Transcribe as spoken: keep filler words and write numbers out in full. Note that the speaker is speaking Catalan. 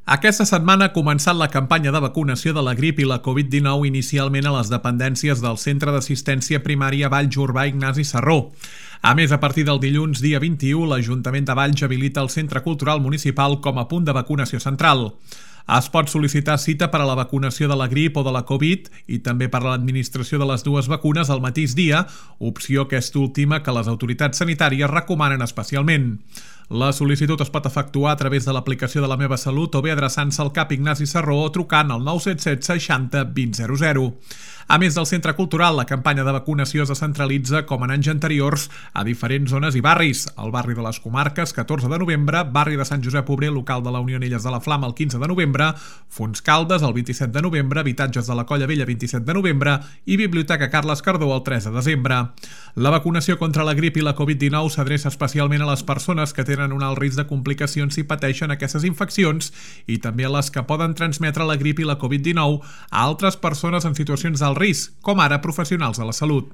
Aquesta setmana ha començat la campanya de vacunació de la grip i la Covid dinou inicialment a les dependències del Centre d'Assistència Primària Valls-Urbà Ignasi Serró. A més, a partir del dilluns, dia vint-i-u, l'Ajuntament de Valls habilita el Centre Cultural Municipal com a punt de vacunació central. Es pot sol·licitar cita per a la vacunació de la grip o de la Covid i també per a l'administració de les dues vacunes al mateix dia, opció aquesta última que les autoritats sanitàries recomanen especialment. La sol·licitud es pot efectuar a través de l'aplicació de La Meva Salut o bé adreçant-se al CAP Ignasi Serró o trucant al nou set set seixanta vint zero zero. A més del centre cultural, la campanya de vacunació es descentralitza, com en anys anteriors, a diferents zones i barris. El barri de les Comarques, catorze de novembre, barri de Sant Josep Obrer, local de la Unió Anelles de la Flama, el quinze de novembre, Fontscaldes, el vint-i-set de novembre, habitatges de la Colla Vella, vint-i-set de novembre i Biblioteca Carles Cardó, el tres de desembre. La vacunació contra la grip i la Covid dinou s'adreça especialment a les persones que tenen un alt risc de complicacions si pateixen aquestes infeccions i també a les que poden transmetre la grip i la Covid dinou a altres persones en situacions d'alt risc, com ara professionals de la salut.